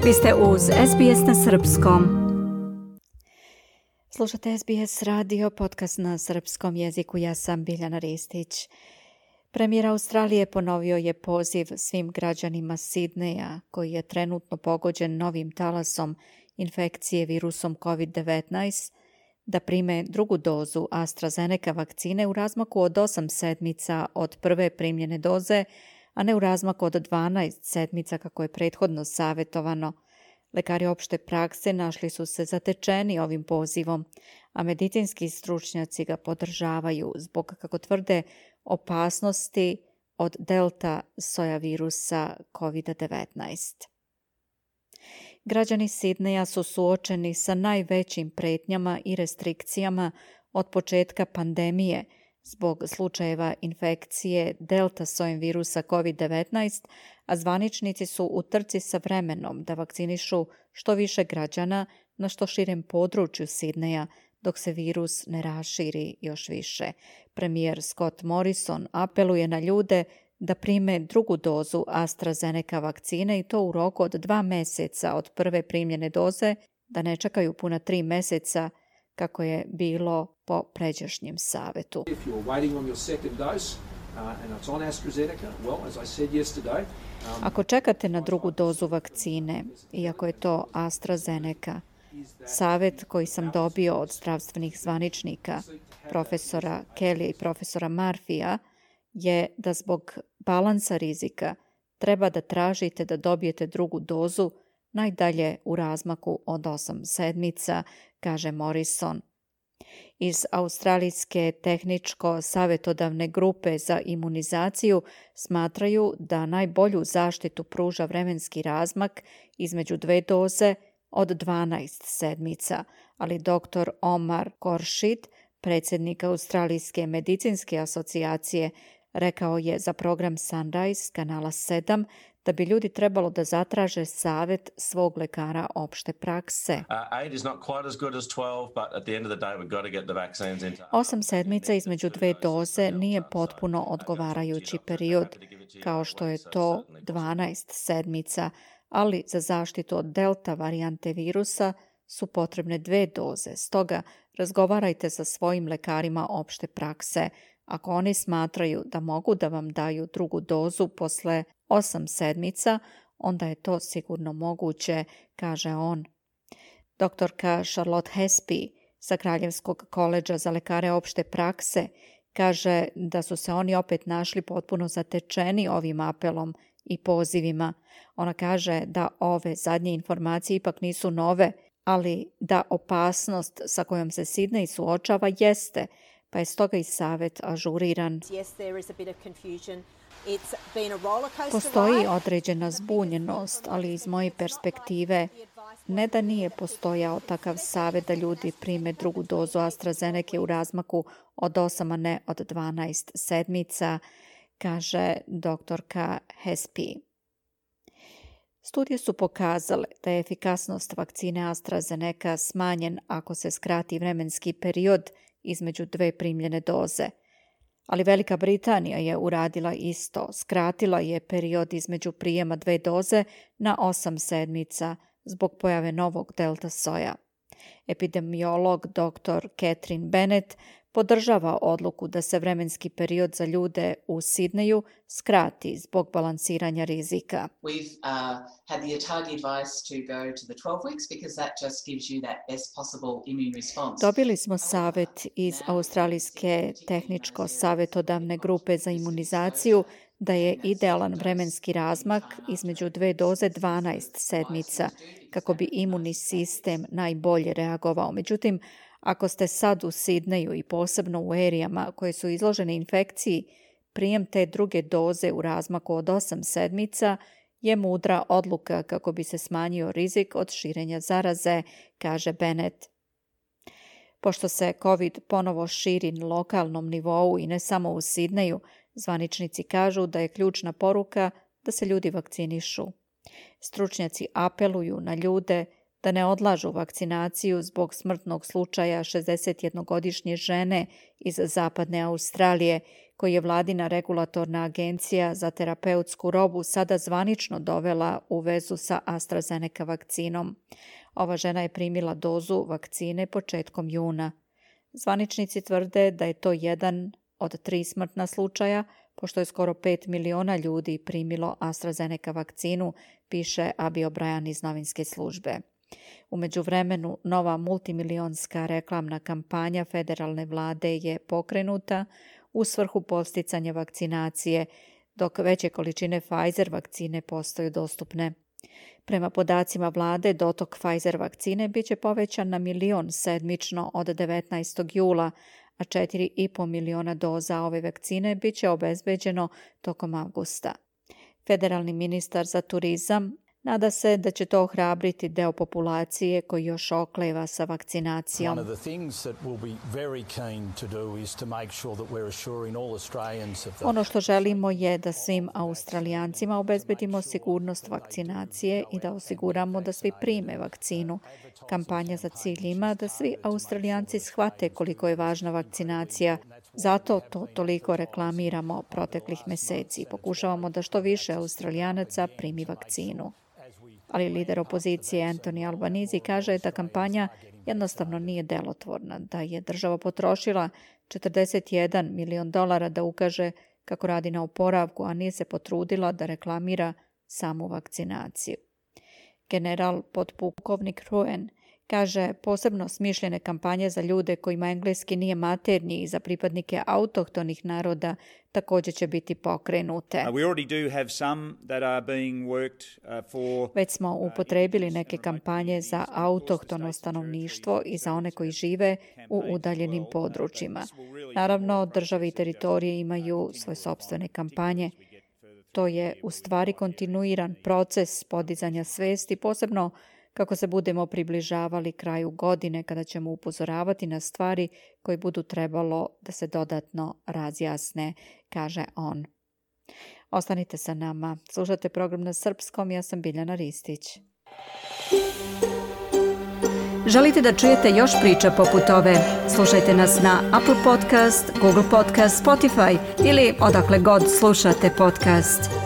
Vi ste uz SBS na srpskom. Slušate SBS radio, podcast na srpskom jeziku. Ja sam Biljana Ristić. Premijer Australije ponovio je poziv svim građanima Sidneja, koji je trenutno pogođen novim talasom infekcije virusom COVID-19, da prime drugu dozu AstraZeneca vakcine u razmaku od 8 sedmica od prve primljene doze, a ne u razmaku od 12 sedmica kako je prethodno savjetovano. Lekari opšte prakse našli su se zatečeni ovim pozivom, a medicinski stručnjaci ga podržavaju zbog, kako tvrde, opasnosti od delta soja virusa COVID-19. Građani Sidneja su suočeni sa najvećim pretnjama i restrikcijama od početka pandemije zbog slučajeva infekcije delta sojem virusa COVID-19, a zvaničnici su u trci sa vremenom da vakcinišu što više građana na što širem području Sidneja, dok se virus ne raširi još više. Premijer Scott Morrison apeluje na ljude da prime drugu dozu AstraZeneca vakcine i to u roku od 2 meseca od prve primljene doze, da ne čekaju puna 3 meseca kako je bilo po pređašnjem savetu. Ako čekate na drugu dozu vakcine, iako je to AstraZeneca, savet koji sam dobio od zdravstvenih zvaničnika, profesora Kelly i profesora Murphyja, je da zbog balansa rizika treba da tražite da dobijete drugu dozu najdalje u razmaku od 8 sedmica, kaže Morrison. Iz Australijske tehničko-savjetodavne grupe za imunizaciju smatraju da najbolju zaštitu pruža vremenski razmak između 2 doze od 12 sedmica, ali dr. Omar Khorshid, predsjednik Australijske medicinske asocijacije, rekao je za program Sunrise kanala 7 da bi ljudi trebalo da zatraže savjet svog lekara opšte prakse. 8 sedmica između 2 doze nije potpuno odgovarajući period, kao što je to 12 sedmica, ali za zaštitu od delta varijante virusa su potrebne 2 doze. Stoga razgovarajte sa svojim lekarima opšte prakse. Ako oni smatraju da mogu da vam daju drugu dozu posle 8 sedmica, onda je to sigurno moguće, kaže on. Doktorka Charlotte Hespy sa Kraljevskog koledža za lekare opšte prakse kaže da su se oni opet našli potpuno zatečeni ovim apelom i pozivima. Ona kaže da ove zadnje informacije ipak nisu nove, ali da opasnost sa kojom se Sidney suočava jeste, pa je stoga i savjet ažuriran. Postoji određena zbunjenost, ali iz moje perspektive ne da nije postojao takav savjet da ljudi prime drugu dozu AstraZeneca u razmaku od 8, a ne od 12 sedmica, kaže doktorka Hespy. Studije su pokazale da je efikasnost vakcine AstraZeneca smanjen ako se skrati vremenski period između 2 primljene doze. Ali Velika Britanija je uradila isto, skratila je period između prijema 2 doze na 8 sedmica zbog pojave novog delta soja. Epidemiolog dr. Catherine Bennett podržava odluku da se vremenski period za ljude u Sidneju skrati zbog balansiranja rizika. Dobili smo savjet iz Australijske tehničko-savjetodavne grupe za imunizaciju da je idealan vremenski razmak između 2 doze 12 sedmica kako bi imunni sistem najbolje reagovao. Međutim, ako ste sad u Sidneju i posebno u erijama koje su izložene infekciji, prijem te druge doze u razmaku od 8 sedmica je mudra odluka kako bi se smanjio rizik od širenja zaraze, kaže Bennett. Pošto se COVID ponovo širi na lokalnom nivou i ne samo u Sidneju, zvaničnici kažu da je ključna poruka da se ljudi vakcinišu. Stručnjaci apeluju na ljude da ne odlažu vakcinaciju zbog smrtnog slučaja 61-godišnje žene iz zapadne Australije koji je vladina regulatorna agencija za terapeutsku robu sada zvanično dovela u vezu sa AstraZeneca vakcinom. Ova žena je primila dozu vakcine početkom juna. Zvaničnici tvrde da je to jedan od 3 smrtna slučaja, pošto je skoro 5 miliona ljudi primilo AstraZeneca vakcinu, piše Abi O'Brien iz novinske službe. U međuvremenu, nova multimilionska reklamna kampanja federalne vlade je pokrenuta u svrhu podsticanja vakcinacije, dok veće količine Pfizer vakcine postaju dostupne. Prema podacima vlade, dotok Pfizer vakcine biće povećan na 1 milion sedmično od 19. jula, a 4,5 miliona doza ove vakcine biće obezbeđeno tokom avgusta. Federalni ministar za turizam nada se da će to ohrabriti deo populacije koji još okleva sa vakcinacijom. Ono što želimo je da svim Australijancima obezbedimo sigurnost vakcinacije i da osiguramo da svi prime vakcinu. Kampanja za cilj ima da svi Australijanci shvate koliko je važna vakcinacija. Zato to toliko reklamiramo proteklih meseci. Pokušavamo da što više Australijanaca primi vakcinu. Ali lider opozicije Anthony Albanese kaže da kampanja jednostavno nije delotvorna, da je država potrošila $41 milion da ukaže kako radi na oporavku, a nije se potrudila da reklamira samu vakcinaciju. General potpukovnik Ruan kaže posebno smišljene kampanje za ljude kojima engleski nije maternji i za pripadnike autohtonih naroda također će biti pokrenute. Već smo upotrebili neke kampanje za autohtono stanovništvo i za one koji žive u udaljenim područjima. Naravno, države i teritorije imaju svoje sopstvene kampanje. To je u stvari kontinuiran proces podizanja svesti, posebno kako se budemo približavali kraju godine kada ćemo upozoravati na stvari koje budu trebalo da se dodatno razjasne, kaže on. Ostanite sa nama. Slušate program na srpskom, ja sam Biljana Ristić. Želite da čujete još priča poput ove? Slušajte nas na Apple Podcast, Google Podcast, Spotify ili odakle god slušate podcast.